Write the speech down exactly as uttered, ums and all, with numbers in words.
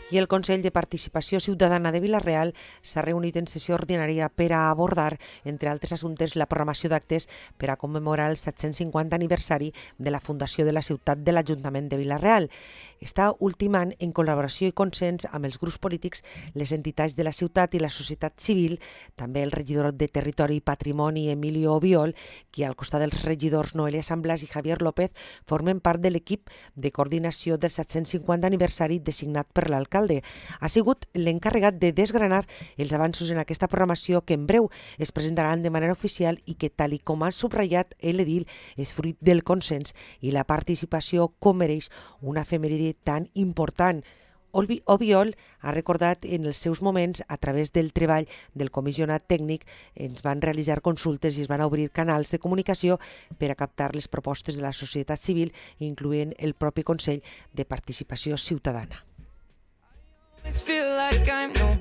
I el Consell de Participació Ciutadana de Vila-real s'ha reunit en sessió ordinària per a abordar, entre altres assumptes, la programació d'actes per a commemorar el set-cents cinquanta aniversari de la fundació de la ciutat de l'Ajuntament de Vila-real. Està ultimant, en col·laboració i consens amb els grups polítics, les entitats de la ciutat i la societat civil, també el regidor de Territori i Patrimoni, Emilio Obiol, qui al costat dels regidors Noelia Samblas i Javier López formen part de l'equip de coordinació del set-cents cinquanta aniversari designat per l'alcalde. Ha sigut l'encarregat de desgranar els avanços en aquesta programació que en breu es presentaran de manera oficial i que, tal i com ha subratllat l'edil, és fruit del consens i la participació com mereix una efemèride tan important. Obiol ha recordat en els seus moments, a través del treball del comissionat tècnic, ens van realitzar consultes i es van obrir canals de comunicació per a captar les propostes de la societat civil, incloent el propi Consell de Participació Ciutadana. Feel like I'm no